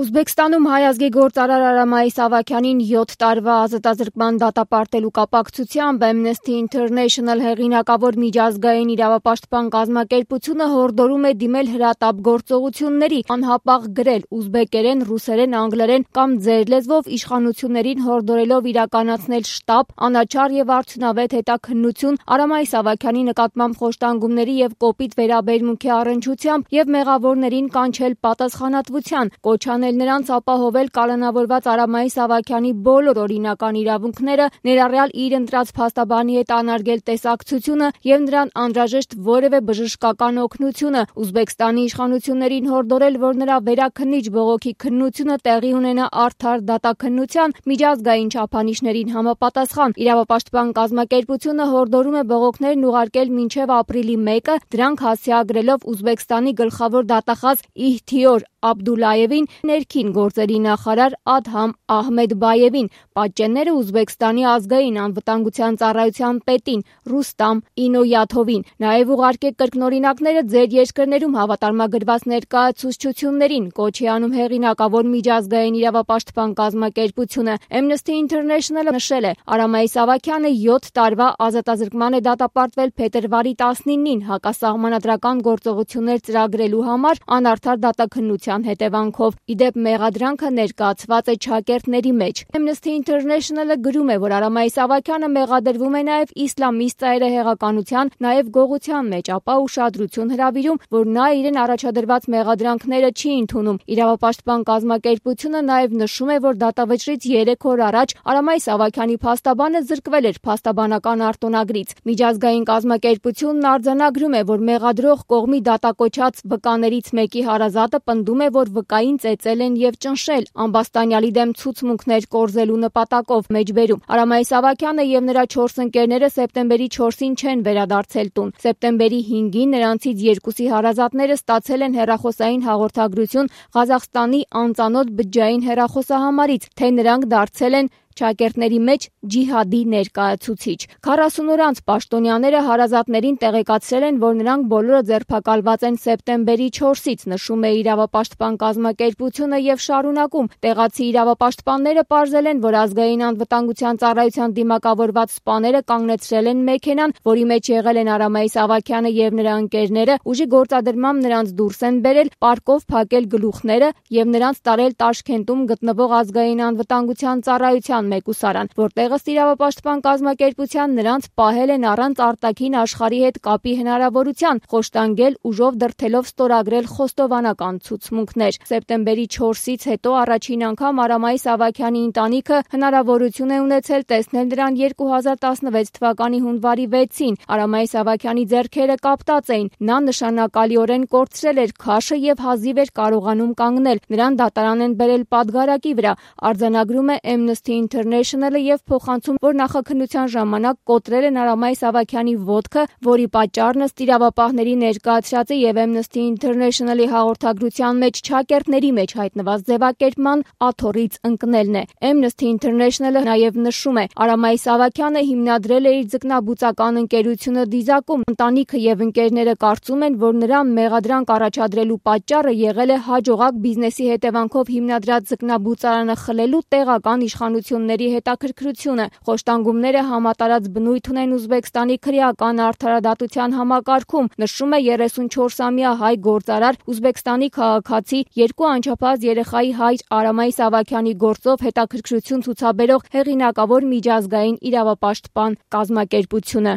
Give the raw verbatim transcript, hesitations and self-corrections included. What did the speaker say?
Ուզբեկստանում հայ ազգի գործարար Արամայիս Ավագյանին յոթ տարվա ազատազրկման դատապարտելու կապակցությամբ Amnesty International հեղինակավոր միջազգային իրավապաշտպան կազմակերպությունը հորդորում է դիմել հրատապ գործողությունների, անհապաղ գրել ուզբեկերեն, ռուսերեն, անգլերեն կամ ձեր լեզվով իշխանություններին հորդորելով իրականացնել շտապ, անաչառ եւ արդյունավետ հետաքննություն Արամայիս Ավագյանի նկատմամբ խոշտանգումների եւ կոպիտ վերաբերմունքի առնչությամբ եւ մեղավորներին կանչել պատասխանատվության, կոչ նրանց ապահովել կալանավորված Արամայիս Ավագյանի բոլոր օրինական իրավունքները, ներառյալ իր ընտրած փաստաբանի հետ անարգել տեսակցությունը եւ նրան անհրաժեշտ որևէ բժշկական օգնությունը, Ուզբեկստանի իշխանություններին հորդորել, որ նրա վերաքննիչ բողոքի քննությունը տեղի ունենա արդար դատաքննության միջազգային չափանիշներին համապատասխան։ Իրավապաշտպան կազմակերպությունը հորդորում է բողոքներն ուղարկել մինչև ապրիլի մեկը, դրանք հասցեագրելով Ուզբեկստանի գլխավոր դատախազ Իհթիոր Աբդուլլայևին, ներքին գործերի նախարար Ադհամ Ահմեդբայևին, պատճենները Ուզբեկստանի ազգային անվտանգության ծառայության պետին Ռուստամ Ինոյաթովին, նաև ուղարկեք կրկնօրինակները ձեր երկրներում հավատարմագրված ներկայացուցչություններին, կոչ է անում հեղինակավոր միջազգային իրավապաշտպան կազմակերպությունը։ Amnesty International-ը նշել է, Արամայիս Ավագյանը յոթ տարվա ազատազրկման է դատապարտվել փետրվարի տասնինին հակասահմանադրական գործողություններ ծրագրելու համար անարդար դատաքննության հետևանքով։ Իդեպ մեղադրանքը ներկայացված է չակերտների մեջ։ Amnesty International-ը գրում է, որ Արամայիս Ավագյանը մեղադրվում է նաև իսլամիստ ծայրահեղականության, նաև գողության մեջ, ապա ուշադրություն հրավիրում, որ նա իրեն առաջադրված մեղադրանքները չի ընդունում։ Իրավապաշտպան կազմակերպությունը նաև նշում է, որ դատավճռից երեք օր առաջ Արամայիս Ավագյանի փաստաբանը զրկվել էր փաստաբանական արտոնագրից։ Միջազգային կազմակերպությունն արձանագրում է, որ մեղադրող կողմի դատակոչած վկաներից մեկի հարազատը պնդում է, որ վկային ծեծել են եւ ճնշել, ամբաստանյալի դեմ ցուցմունքներ կորզելու նպատակով մեջբերում։ Արամայիս Ավագյանը եւ նրա չորս ընկերները սեպտեմբերի չորսին չեն վերադարձել տուն։ Սեպտեմբերի հինգին նրանցից երկուսի հարազատները ստացել են հեռախոսային հաղորդագրություն Ղազախստանի անծանոթ բջջային հեռախոսահամարից, թե նրանք դարձել են չակերտների մեջ ջիհադի ներկայացուցիչ։ քառասուն օր անց պաշտոնյաները հարազատներին տեղեկացրել են, որ նրանք բոլորը ձերբակալված են սեպտեմբերի չորսից, նշում է իրավապաշտպան կազմակերպությունը եւ շարունակում. տեղացի իրավապաշտպանները պարզել են, որ ազգային անվտանգության ծառայության դիմակավորված սպաները կանգնեցրել են մեքենան, որի մեջ եղել են Արամայիս Ավագյանը եւ նրա ընկերները, ուժի գործադրմամբ նրանց դուրս են բերել, պարկով փակել գլուխները եւ նրանց տարել Տաշքենտում գտնվող ազգային անվտանգության ծառայության մեկուսարան, որտեղ ըստ իրավապաշտպան կազմակերպության նրանց պահել են առանց արտաքին աշխարհի հետ կապի հնարավորության, խոշտանգել, ուժով դրդելով ստորագրել խոստովանական ցուցմունքներ։ Սեպտեմբերի չորսից հետո առաջին անգամ Արամայիս Ավագյանի ընտանիքը հնարավորություն է ունեցել տեսնել նրան երկու հազար տասնվեց թվականի հունվարի վեցին։ Արամայիս Ավագյանի ձեռքերը կապտած էին, նա նշանակալիորեն կորցրել էր քաշը եւ հազիվ էր կարողանում կանգնել։ Նրան դատարան են բերել պատգարակի վրա, արձանագրում է Amnesty International-ը եւ փոխանցում, որ նախաքննության ժամանակ կոտրել են Արամայիս Ավագյանի ոտքը, որի պատճառն ըստ իրավապահների ներկայացրած է եւ Amnesty International-ի հաղորդագրության մեջ չակերտների մեջ հայտնված ձևակերպման աթոռից ընկնելն է։ Amnesty International-ը նաեւ նշում է, Արամայիս Ավագյանը հիմնադրել է իր ձկնաբուծական ընկերությունը Դիզակում։ Ընտանիքը եւ ընկերները կարծում են, որ նրա մեղադրանք առաջադրելու պատճառը եղել է հաջողակ բիզնեսի հետևանքով հիմնադրած ձկնաբուծարանը խլելու տեղական իշխանությունների հետաքրքրությունը։ Խոշտանգումները համատարած բնույթ ունեն Ուզբեկստանի քրեական արդարադատության համակարգում, նշում է երեսունչորսամյա հայ գործարար, Ուզբեկստանի քաղաքացի, երկու անչափահաս երեխայի հայր Արամայիս Ավագյանի գործով հետաքրքրություն ցուցաբերող հեղինակավոր միջազգային իրավապաշտպան կազմակերպությունը։